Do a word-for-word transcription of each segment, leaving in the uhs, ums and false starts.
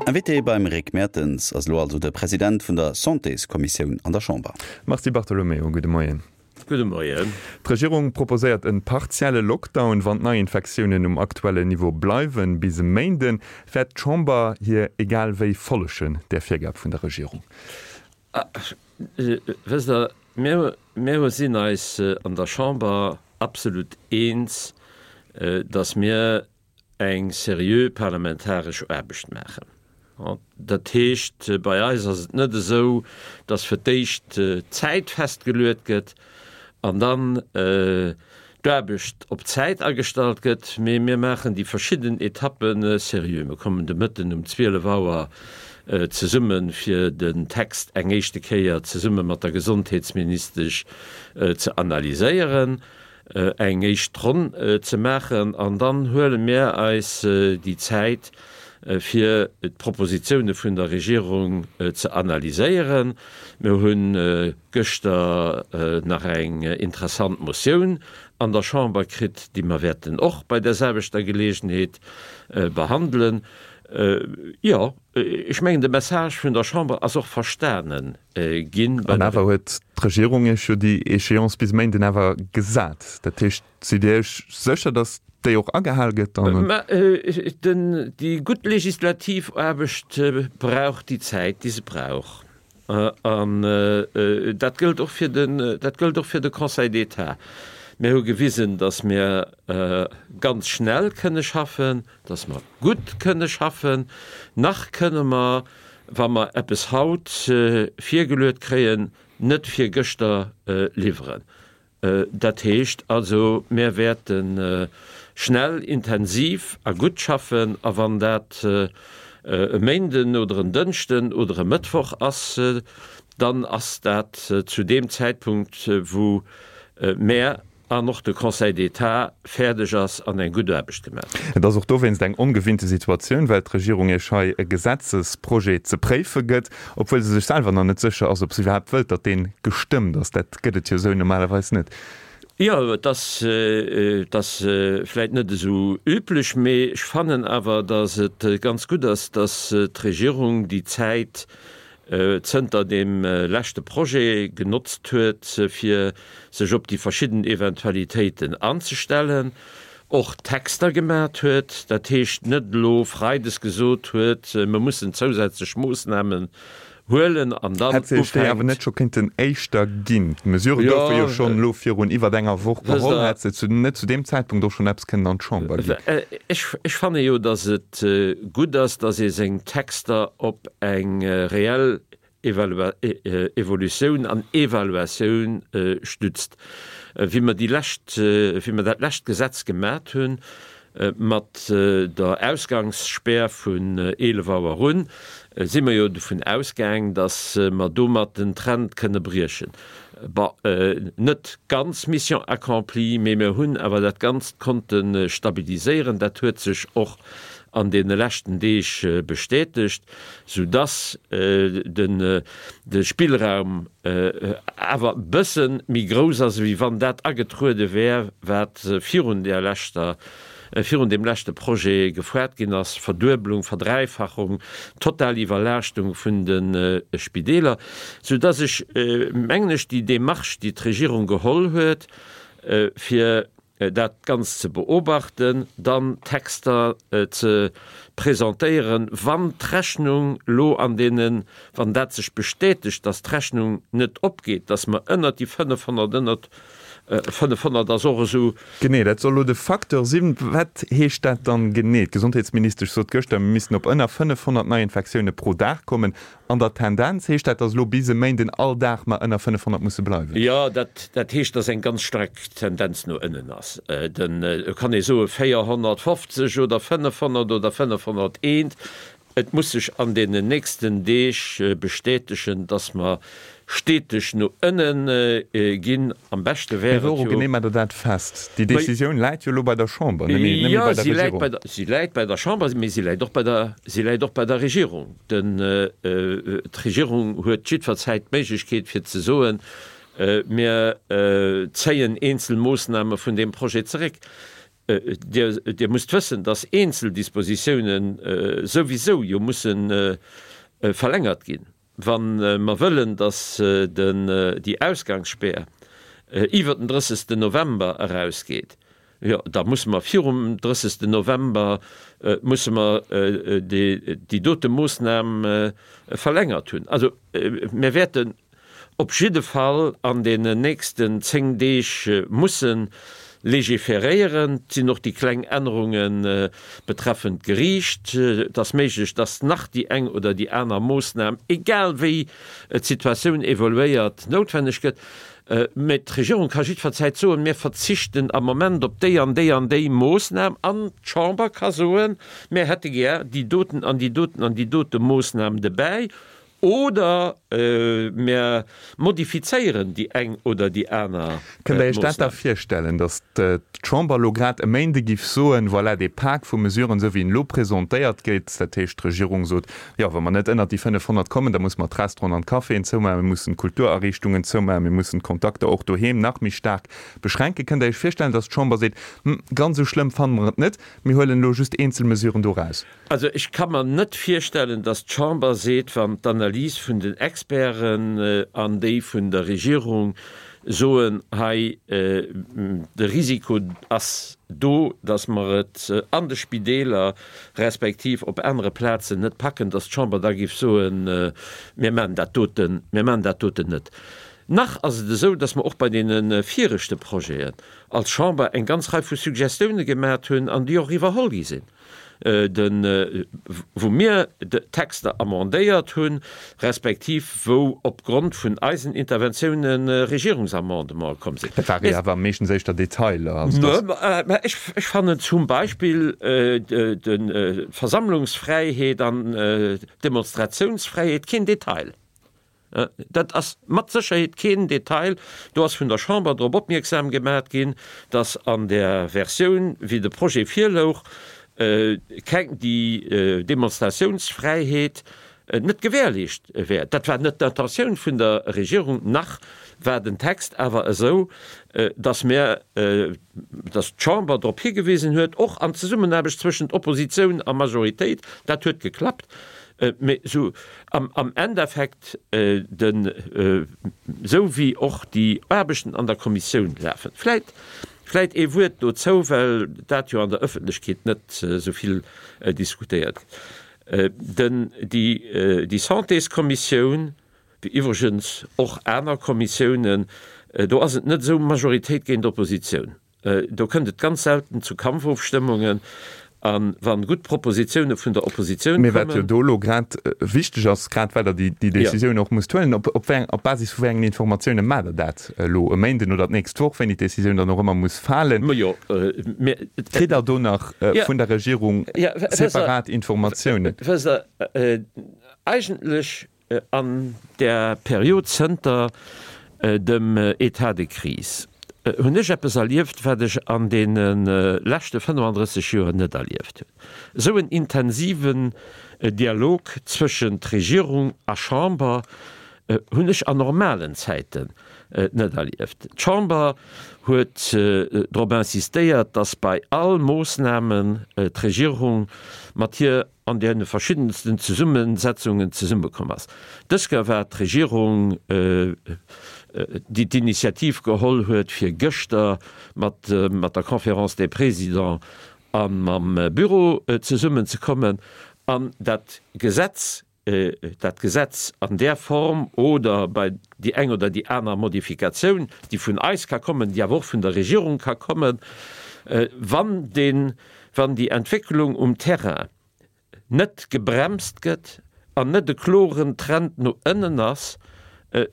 Invité beim Rick Mertens ass elo also de President vun der Santéskommissioun an der Chamber. Mars Di Bartolomeo, gudde Moien. Gudde Moien. D'Regierung proposéiert e partielle Lockdown, wann d'Neiinfektiounen um aktuellen Niveau bleiwen. Bis e Méinden. Wäert d'Chamber hir egal wéi follegen, där Virgab vun der Regierung? Wësst Der, mir, mir sinn eis an der Chamber absolut eens, datt mir eng seriö parlamentaresch Aarbecht maachen. Dat heescht, bei eis ass et net esou, datt fir d'éischt d'Zäit festgeluet gëtt an dann d'Aarbecht op d'Zäit agestallt gëtt, mee mir maachen déi verschidden Etappe seriö. Mir kommen de Mëtten um zwielef Auer zesumme fir den Text eng éischte Kéier zesumme mat der Gesondheetsministesch ze analyséieren. eng éischt Ronn ze maachen an dann huele mir eis déi Zäit, fir d'Propositioune vun der Regierung ze analyséieren. Mir hu gëschter nach eng interessant Motioun an der Chamber kritt, déi mer wäerten och bei där selwechter Geleegenheet behandelen. Jo, ech mengen, de Message vun der Chamber ass och verstane ginn. An awer huet d'Regierung Iech jo déi Échéance bis Méinden awer gesat. Dat heescht, sidd Dir Iech sécher, datt déi och agehal gëtt dann? Mä déi gutt legislativ Aarbecht brauch déi Zäit, déi se brauch. An dat gëllt och fir den, dat gëllt och fir de Conseil d'État. Mir hu gewisen, datt mir ganz schnell kënne schaffen, datt mer gutt kënne schaffen. Nach kënne mer, wa mer eppes haut virgeluet kréien, net virgëschter liwweren. Dat heescht also, mir wäerte schnell, intensiv a gutt schaffen. A wann dat e Méinden oder en Dënschden oder e Mëttwoch ass, dann ass dat zu deem Zäitpunkt, wou mär an och de Conseil d'État fäerdeg ass an eng gutt Aarbecht gemaach huet. Et ass och dowéinst eng ongewinnte Situatioun, well d'Regierung Iech hei e Gesetzesprojet ze préife gëtt, obwuel se sech selwer nach net sécher ass, ob se iwwerhaapt wëllt, datt dee gestëmmt ass. Dat gëtt et jo esou normalerweis net. Jo, et ass, et ass vläit net esou üblech, mee ech fannen awer, datt et ganz gutt ass, datt d'Regierung déi Zäit zënter deem leschte Projet genotzt huet, fir sech op déi verschidden Eventualitéiten anzestellen, och Texter gemat huet, dat heescht net elo freides gesot huet, mer mussen zousätzlech Moossnamen huelen an dann Hätt sech déi awer ufänkt. net scho kéinten éischter ginn? D'Mesurë goufe jo schonn elo virun iwwert enger Woch Wësst geholl. Der, Hätt se zu net zu deem Zäitpunkt och schonn eppes kënnen an d'Chamber ginn? Ech, ech fanne jo, datt et gutt ass, datt ee seng Texter op eng reell Evalua, Evolutioun an Evaluatioun stützt. Wéi mer déi lescht, wéi mer dat lescht Gesetz gemat hunn, Mat der Ausgangsspär vun eelef Auer un si mer jo dovun ausgaang, datt mer domat den Trend kënne briechen. Bon, net ganz Mission accomplie, mee mir hunn awer dat Ganzt konnte stabiliséieren. Dat huet sech och an deene leschten Deeg bestätegt, soudatt de Spillraum awer e bësse méi grouss ass, ewéi wann dat agetruede wär, wat virun där leschter, virun deem leschte Projet gefuert ginn ass, Verdueblung, Verdräifachung, total Iwwerlaaschtung vun de Spideeler, soudatt ech, mengen ech, déi Démarche, déi d'Regierung geholl huet, fir dat Ganzt ze beobachten, dann Texter ze presentéieren, wann d'Rechnung elo an deenen, wann dat sech bestätegt, dass d'Rechnung net opgeet, dass mer ënnert déi fënnefhonnert, ënnert fënnefhonnert ass och esou. Genee, dat soll elo de Facteur sinn. Wat heescht dat dann genee? D'Gesondheetsministesch sot gëschter, mir missten op ënner fënnefhonnert Neiinfektioune pro Dag kommen. An der Tendenz heescht dat, datt elo bis e Méinden all Dag mer ënner fënnefhonnert musse bleiwen? Jo, dat, dat heescht, datt eng ganz staark Tendenz no ënnen ass. Den, et kann ee soe véierhonnertfofzeg oder fënnefhonnert oder fënnefhonnerteent. Et muss sech an deenen nächsten Deeg bestätegen, datt mer steteg no ënne ginn. Am beschte Mee wär et wouru jo. genee maacht Der dat fest? Déi Decisioun läit jo elo bei der Chamber, net méi, net méi Jo, bei der si läit Regierung. bei der, si läit bei der Chamber, mee si läit och bei der, si läit och bei der Regierung. Den, d'Regierung huet jiddwer Zäit d'Méiglechkeet fir ze soen, Mir zéien eenzel Moossname vun deem Projet zeréck. Dir, Dir musst wëssen, dass eenzel Dispositiounen souwisou jo mussen verlängert ginn, wa mer wëllen, dass den, déi Ausgangsspär iwwert den drëssegsten November erausgeet. Jo, da musse mer virum drëssegsten November musse mer déi, déi dote Moosnam verlängert hunn. Also mir wäerten op jidde Fall an deenen nächsten zéng Deeg musse légiféréieren. Et sinn och déi kleng Ännerunge betreffend d'Geriicht. Et ass méiglech, dass nach déi eng oder déi aner Moosnam, egal wéi d'Situatioun evoluéiert, noutwenneg gëtt. Mä d'Regierung ka jiddwer Zäit soen, mir verzichten am Moment op déi an déi an déi Moosnam. An d'Chamber ka soen, mir hätte gär déi doten an déi doten an déi dote Moosnam dobäi oder mir modifizéieren déi eng oder déi aner Kënnt Der Iech dat da Moosnam. virstellen, datt d'Chamber elo grad e Méinde giff soen, voilà, dee Pak vu Mesuren, esou wéi en elo presentéiert gétt, dat heescht d'Regierung sot, jo, wa mer net ënnert déi fënnefhonnert kommen, da musse mer d'Restauranten an d'Caféen zoumaachen, mir mussen d'Kulturariichtungen zoumaachen, mir mussen d'Kontakter och doheem nach méi staark beschränken. Kënnt Der Iech virstellen, datt d'Chamber seet, Hm, ganz esou schlëmm fanne mer et net, mir huelen elo just eenzel Mesuren do raus? Also ech ka mer net virstellen, datt d'Chamber seet, wann d'Analys vun den Experten an déi vun der Regierung soen, hei de Risiko ass do, datt mer et an de Spideeler respektiv op anere Plazen net packen, datt d'Chamber da géif soen, mir maachen dat doten, mir maachen dat doten net. Nach ass et esou, datt mer och bei deene viregte Projeten als Chamber eng ganz Rei vu Suggestioune gemat hunn an déi och iwwerholl gi sinn. den, wou mir d'Texter amendéiert hunn, respektiv wou opgrond vun eisen Interventiounen Regierungsamendementen komm sinn. Dat ware jo awer meeschtens éischter Detailer. Also dass. Mä ech, ech fannen zum Beispill d'Versammlungsfräiheet an d'Demonstratiounsfräiheet keen Detail. Dat ass mat Sécherheet keen Detail. Do ass vun der Chamber drop opmierksam gemat ginn, datt an där Versioun, wéi de Projet virlouch, keng déi Demonstratiounsfräiheet net gewährleescht wär. Dat war net d'Intentioun vun der Regierung, nach war den Text awer esou, datt mir, datt d'Chamber drop higewisen huet, och an Zesummenaarbecht zwëschent Oppositioun a Majoritéit, dat huet geklappt, Mee sou am Endeffekt, den, sou wéi och déi Aarbechten an der Kommissioun lafen, vläit, vläit ee Wuert dozou, well dat jo an der Ëffentlechkeet net esou vill diskutéiert gëtt, den, déi, déi Santéskommissioun, wéi iwwregens och aner Kommissiounen, do ass et net esou Majoritéit géint Oppositioun. Do kënnt et ganz selten zu Kampfofstëmmungen, a wa gutt Propositioune vun der Oppositioun Mee wat jo kommen. do elo grad wichteg ass, grad well Der déi Décisioun och musst huelen, op op wéi eng, op Basis vu wéi engen Informatioune maacht Der dat elo e Méinden oder d'nächst Woch, wéini d'Décisioun dann och ëmmer muss falen? Majo, mir. Kritt Der do nach vun der Regierung separat Informatiounen? Wësst Der, eigentlech An där Period zënter dem État de crise hunn ech eppes erlieft, wat ech an deene leschte fënnefandrësseg Joer net erlieft hunn, esou en intensiven Dialog zwëschent Regierung a Chamber hunn ech an normalen Zäiten net erlieft. D'Chamber huet drop insistéiert, datt bei all Moossnamen d'Regierung mat hir an deene verschiddensten Zesummesetzungen zesummekomm ass. Dës Kéier war et d'Regierung, déi d'Initiativ geholl huet, fir gëschter mat der Conférence des Présidents a mam Büro zesummenzekommen an dat Gesetz, dat Gesetz an där Form oder bei déi eng oder déi aner Modifikatioun, déi vun eis ka kommen, déi awer och vun der Regierung ka kommen, wann deen, wann déi Entwécklung um Terrain net gebremst gëtt an net e kloren Trend no ënnen ass,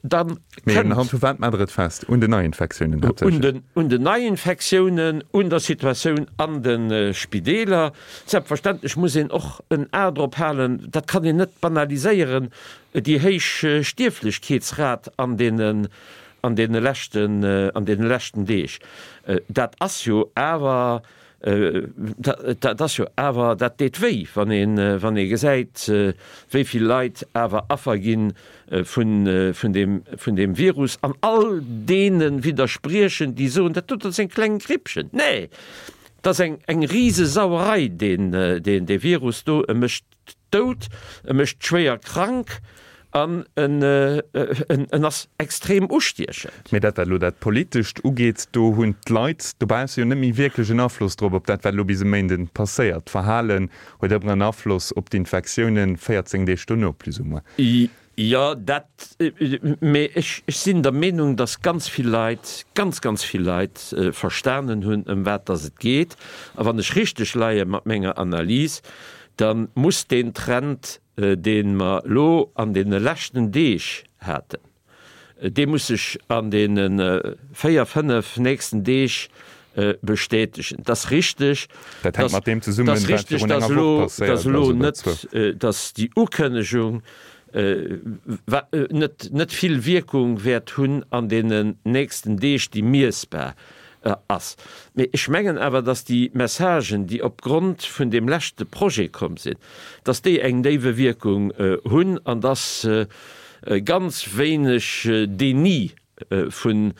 da Mee kënnt. unhand vu wat maacht Der et fest? Un den Neiinfektiounen haaptsächlech? Un den Neiinfektiounen, un der Situatioun an de Spideeler. Selbstverständlech muss een och en A drop halen, dat kann een net banaliséieren, déi héich Stierflechkeetsrat an deene an deene leschten, an deene leschten Deeg. Dat ass jo awer Dat ass jo awer, dat deet wéi, wann een, wann ee gesäit, wéi vill Leit awer Affer gi vun, vun deem, vun deem Virus an all deene widderspriechen, déi soen, dat doten ass eng kleng Grippchen. Nee! Dat ass eng, eng Risesauerei, deen, deen, dee Virus do. E mécht dout, e mécht schwéier krank an en, en, en ass extrem ustiechend. Mee dat, wat elo dat Politescht ugeet, do hunn d'Leit dobausse jo net méi wierklech en Afloss drop, op dat, wat elo bis e Méinden passéiert. D'Verhalen huet ëmmer en Afloss op d'Infektiounen véierzéng Deeg dono, plus ou moins. Jo, dat, mee ech, ech sinn der Meenung, dass ganz vill Leit, ganz, ganz vill Leit verstanen hunn, ëm wat dass et geet. A wann ech richteg leie mat menger Analys, da muss deen Trend, dee mer elo an deene leschten Deeg haten, dee muss sech an deene véier, fënnef nächsten Deeg bestätegen. Et ass richteg, Dat hänkt mat deem zesummen, wat virun enger Woch passéiert ass oder zwou. Dass déi Ukënnegung net vill Wierkung wäert hunn an deenen nächsten Deeg, déi miessbar ass. Mee ech mengen awer, dass déi Messagen, déi opgrond vun deem leschte Projet komm sinn, dass déi eng déiwe Wierkung hunn an dass ganz wéineg Déni vun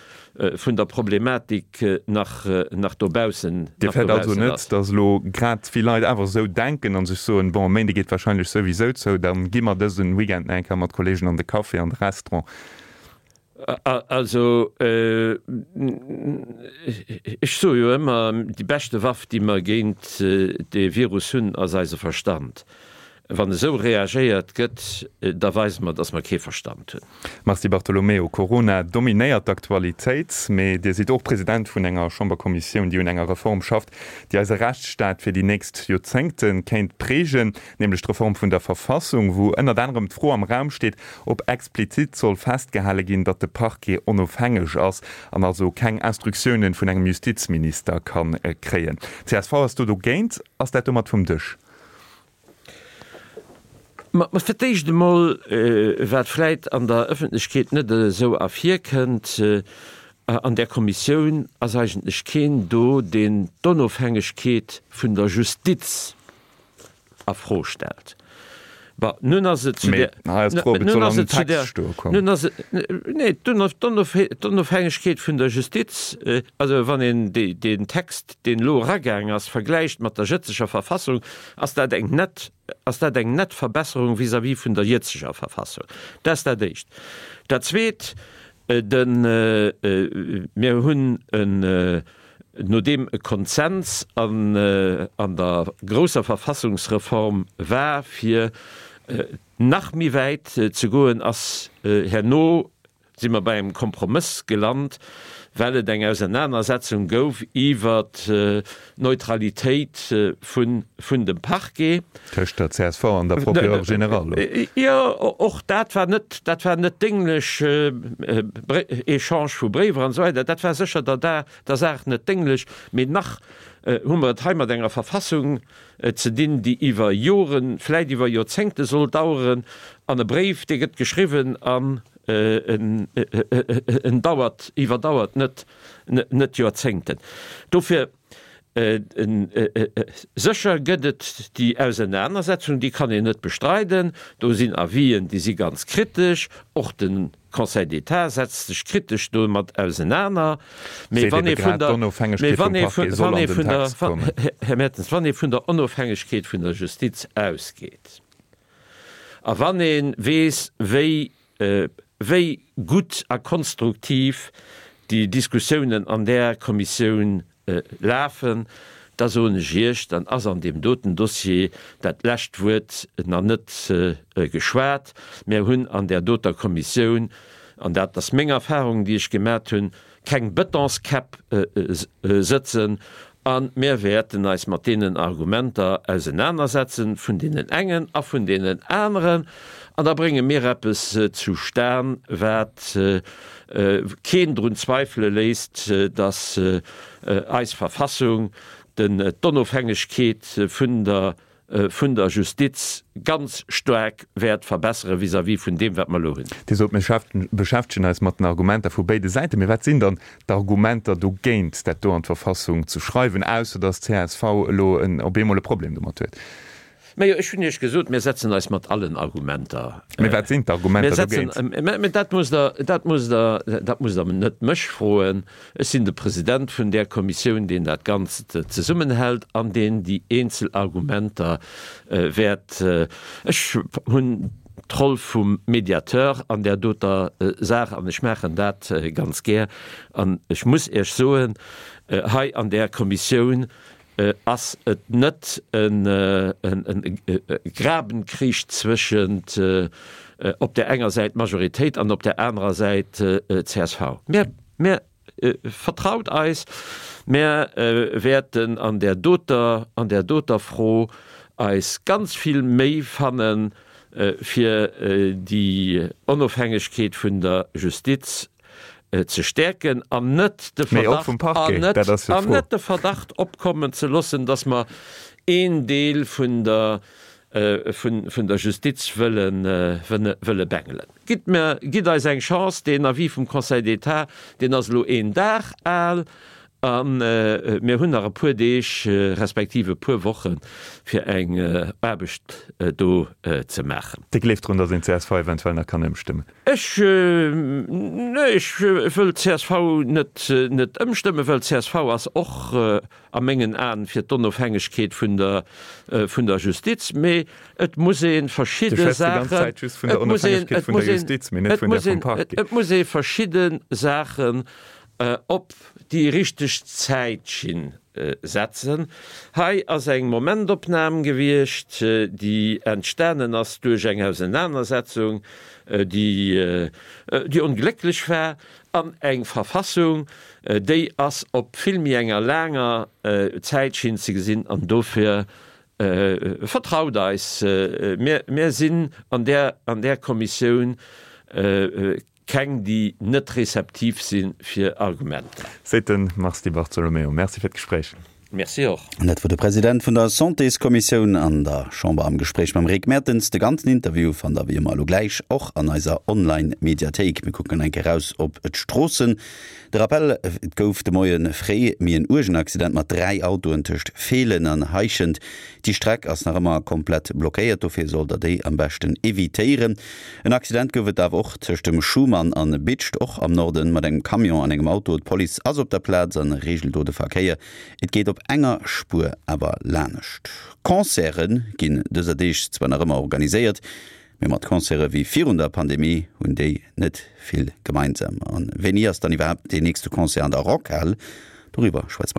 der Problematik nach dobaussen Dir fäert also ass. Net, datt elo grad vill Leit awer esou denken a sech soen, bon, e Méinde geet wahrscheinlech souwisou zou, da gi mer dëse Weekend nach eng Kéier mat Kolleegen an de Café, an de Restaurant? Also, ech soe jo ëmmer, déi beschte Waff, déi mer géint dee Virus hunn, ass eise Verstand. Wann esou reagéiert gëtt, da weise mer, datt mer kee Verstand hunn. Mars Di Bartolomeo, Corona dominéiert d'Aktualitéit, mee Dir sidd och President vun enger Chamberkommissioun, déi un enger Reform schafft, déi eise Rechtsstaat fir déi nächst Joerzéngte kéint prägen, nämlech d'Reform vun der Verfassung, wou ënnert anerem d'Fro am Raum steet, ob explizit soll festgehale ginn, datt de Parquet onofhängeg ass an also keng Instruktiounen vun engem Justizminister ka kréien. Csv ass do dogéint. Ass dat domat vum Dësch? Ma fir d'éischt emol, wat vläit an der Ëffentlechkeet net esou ervirkënnt, An där Kommissioun ass eigentlech keen do, deen d'Onofhängegkeet vun der Justiz a Fro stellt. Bon, nun ass et zu där, nun ass et zu där, nun ass et, nee, d'Onofhängegkeet vun der Justiz, also wann een deen Text, deen elo eragaang ass, vergläicht mat der jëtzeger Verfassung, ass dat eng nett, ass dat eng nett Verbesserung vis-à-vis vun der jëtzeger Verfassung. Dat ass dat Éischt. Dat Zweet, den, mir hunn en, nodeem e Konsens an der grousser Verfassungsreform war, fir nach méi wäit ze goen, ass herno, si mer bei engem Kompromëss gelant, well et eng Ausernanersetzung gouf iwwert d'Neutralitéit vun dem Parquet. Tëscht der csv an der Procureure générale. Jo, och dat war net, dat war net dénglech, Echange vu Bréiwer an esou weider, dat war sécher der der Saach net dénglech. Mee nach hu mer et hei mat enger Verfassung ze dinn, déi iwwer Joren, vläit iwwer Joerzéngte soll daueren. An e Bréif, dee gëtt geschriwwen an en dauert, iwwerdauert net, net Joerzéngten. Dofir, sécher gëtt et déi Ausenanersetzung, déi kann een net bestreiden. Do sinn Avisen, déi si ganz kritesch. Och de Conseil d'État setzt sech kritesch domat ausenaner. Mee wann ee vun der, mee wann ee vun, wann ee vun der, Här Mertens, wann ee vun der Onofhängegkeet vun der Justiz ausgeet a wann ee weess, wéi, wéi gutt a konstruktiv déi Diskussiounen an där Kommissioun lafen, da soen ech Iech, dann ass an deem doten Dossier dat lescht Wuert nach net geschwat. Mir hunn an där doter Kommissioun, an dat ass meng Erfahrung, déi ech gemat hunn, keng Betonskäpp sëtzen a mir wäerten eis mat deenen Argumenter ausenanersetzen, vun deenen engen a vun deenen aneren, an da brénge mir eppes zustan, wat keen drun zweifele léisst, datt eis Verfassung d'Onofhängegkeet vun der vun der Justiz ganz staark wäert verbessere vis-à-vis vun deem, wat mer elo hunn. Dir sot, mir beschäftegen eis mat den Argumenter vu béide Säiten. Mee wat sinn dann d'Argumenter dogéint, dat do an d'Verfassung ze schreiwen, ausser datt csv elo op eemol e Problem domat huet? Majo, ech hunn Iech gesot, mir setzen eis mat allen Argumenter. Mee wat sinn d'Argumenter dogéint? Mee dat musst Der, dat musst Der, dat musst Der net mech froen. Ech sinn de President vun där Kommissioun, deen dat Ganzt zesummenhält an deen déi eenzel Argumenter wäert. Ech hunn d'Roll vum Mediateur an där doter Saach an ech maachen dat ganz gär. An ech muss Iech soen, hei an där Kommissioun ass et net e Grabenkrich zwëschent op där enger Säit d'Majoritéit an op där anerer Säit csv. Mä vertraut eis, mär wäerten an där doter, an där doter Fro eis ganz vill Méi fannen, fir déi Onofhängegkeet vun der Justiz ze stäerken an net de Verdacht, an net, an net de Verdacht opkommen ze loossen, dass mer een Deel vun der, vun, vun der Justiz wëllen, wëlle bengelen. Gitt mer, gitt eis eng Chance, deen Avis vum Conseil d'État, deen ass elo een Dag al a mir hunn nach e puer Deeg respektiv e puer Wochen, fir eng Aarbecht do ze maachen. Dir gleeft drun, dass een csv eventuell nach kann ëmstëmmen? Ech, nee, ech wëll csv net, net ëmstëmmen, well csv ass och a mengen Aen fir d'Onofhängegkeet vun der, vun der Justiz. Mee et muss ee verschidde Saachen, et muss een, et muss een, et muss een, et muss ee verschidde Saachen op déi richteg Zäitschinn setzen. Hei ass eng Momentopnam gewiescht, déi entstanen ass duerch eng Ausenanersetzung, déi, déi onglécklech war, an eng Verfassung, déi ass op vill méi enger laanger Zäitschinn ze gesinn. An dofir vertraut eis, mir, mir sinn an där, an där Kommissioun Keng, déi net rezeptiv si fir Argumenter. Seet de Mars Di Bartolomeo. Merci fir d'Gespréich. Merci och. An dat wor de President vun der Santéskommissioun an der Chamber am Gespréich mam Rick Mertens. De ganzen Interview fannt der wéi ëmmer elo gläich och an eiser Online-Mediathéik. Mir kucken eng Kéier raus op d'Stroossen. De Rappel, Et gouf de Moie fréi méi en uergen Accident mat dräi Autoen tëscht Feelen an Heischent. Déi Streck ass nach ëmmer komplett blockéiert, dofir sollt der déi am beschten evitéieren. En Accident gouf et awer och tëscht dem Schuman an Bidscht, och am Norden, mat engem Camion an engem Auto. D'Police ass op der Plaz an reegelt do de Verkéier. Et geet op enger Spuer awer lanescht. Concerte ginn dëser Deeg zwar nach ëmmer organiséiert, mee mat Concerte wéi virun der Pandemie hunn déi net vill gemeinsam. An wéini ass dann iwwerhaapt deen nächste Concert an der Rockhal? Doriwwer schwätze mer.